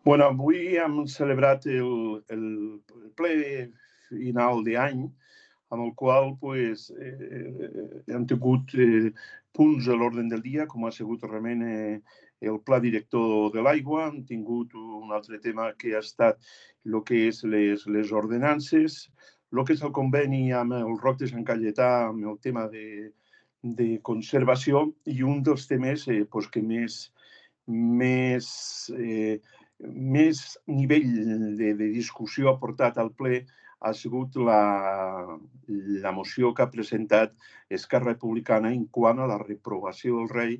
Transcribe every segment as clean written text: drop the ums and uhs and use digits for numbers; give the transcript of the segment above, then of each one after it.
Bueno, avui hem celebrat el ple final d'any, amb el qual hem tingut punts a l'ordre del dia, com ha sigut realment el pla director de l'aigua. Hem tingut un altre tema que ha estat el que és les ordenances, el que és el conveni amb el Roc de Sant Cayetà, amb el tema de conservació, i un dels temes que més nivell de discussió ha portat al ple ha sigut la moció que ha presentat Esquerra Republicana en quant a la reprovació del rei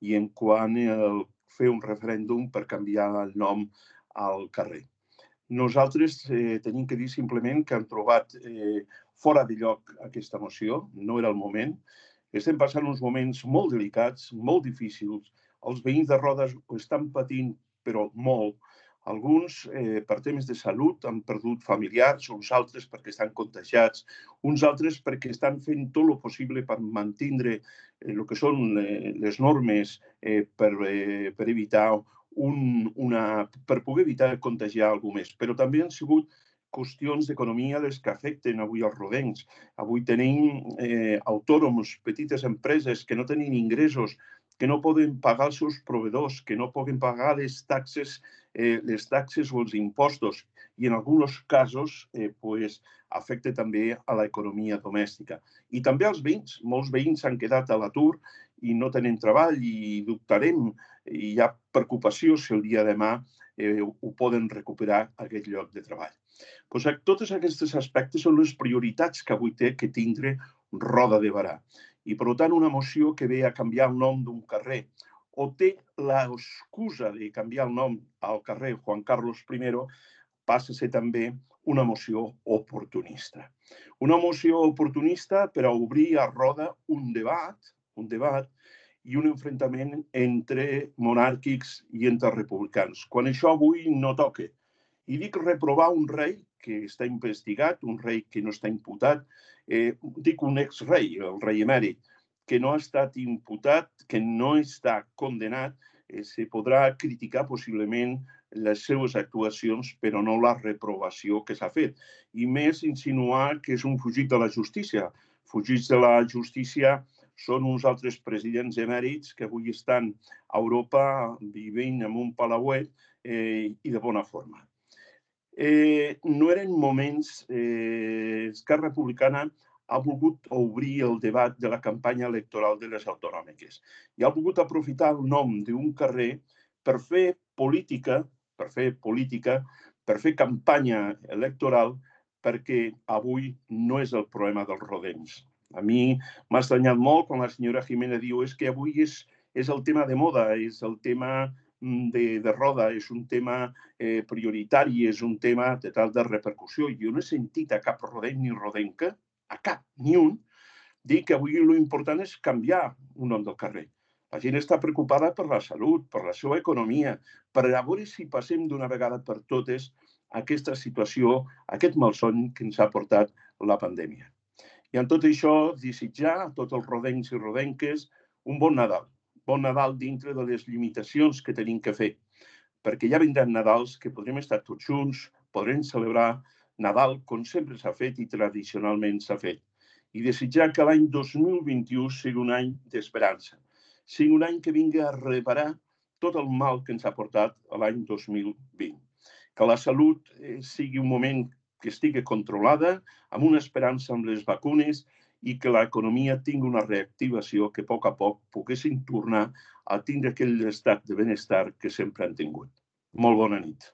i en quant a fer un referèndum per canviar el nom al carrer. Nosaltres tenim que dir simplement que hem trobat fora de lloc aquesta moció, no era el moment. Estem passant uns moments molt delicats, molt difícils. Els veïns de Rodes ho estan patint, però molt. Alguns, per temes de salut, han perdut familiars, uns altres perquè estan contagiats, uns altres perquè estan fent tot el possible per mantenir el que són les normes per evitar per poder evitar contagiar algú més. Però també han sigut qüestions d'economia les que afecten avui els rodencs. Avui tenim autònoms, petites empreses que no tenen ingressos, que no poden pagar els seus proveïdors, que no poden pagar les taxes o els impostos, i en alguns casos afecta també a l'economia domèstica. I també als veïns. Molts veïns s'han quedat a l'atur i no tenen treball i dubtarem, i hi ha preocupació si el dia de demà ho poden recuperar aquest lloc de treball. Tots aquests aspectes són les prioritats que avui té que tindre Roda de Berà. I, per tant, una moció que ve a canviar el nom d'un carrer o té l'excusa de canviar el nom al carrer Juan Carlos I passa a ser també una moció oportunista. Una moció oportunista per a obrir a Roda un debat i un enfrontament entre monàrquics i entre republicans, quan això avui no toca. I dic reprovar un rei que està investigat, un rei que no està imputat, dic un exrei, el rei emèrit, que no ha estat imputat, que no està condenat, se podrà criticar possiblement les seves actuacions, però no la reprovació que s'ha fet. I més insinuar que és un fugit de la justícia. Fugits de la justícia són uns altres presidents emèrits que avui estan a Europa vivint en un palauet i de bona forma. No eren moments... Esquerra Republicana ha volgut obrir el debat de la campanya electoral de les autonòmiques i ha volgut aprofitar el nom d'un carrer per fer política, per fer campanya electoral, perquè avui no és el problema dels rodencs. A mi m'ha estranyat molt quan la senyora Jimena diu que avui és el tema de moda, és el tema de Roda, és un tema prioritari, és un tema de tal de repercussió. Jo no he sentit a cap rodenc ni rodenca, a cap, ni un, dir que avui l'important és canviar un nom del carrer. La gent està preocupada per la salut, per la seva economia, per a veure si passem d'una vegada per totes aquesta situació, aquest malson que ens ha portat la pandèmia. I amb tot això, desitjar a tots els rodencs i rodenques un bon Nadal. Bon Nadal dintre de les limitacions que tenim que fer, perquè ja vindran Nadals que podrem estar tots junts, podrem celebrar Nadal com sempre s'ha fet i tradicionalment s'ha fet. I desitjar que l'any 2021 sigui un any d'esperança, sigui un any que vingui a reparar tot el mal que ens ha portat l'any 2020. Que la salut sigui un moment que estigui controlada, amb una esperança amb les vacunes, i que l'economia tingui una reactivació que a poc poguessin tornar a tindre aquell estat de benestar que sempre han tingut. Molt bona nit.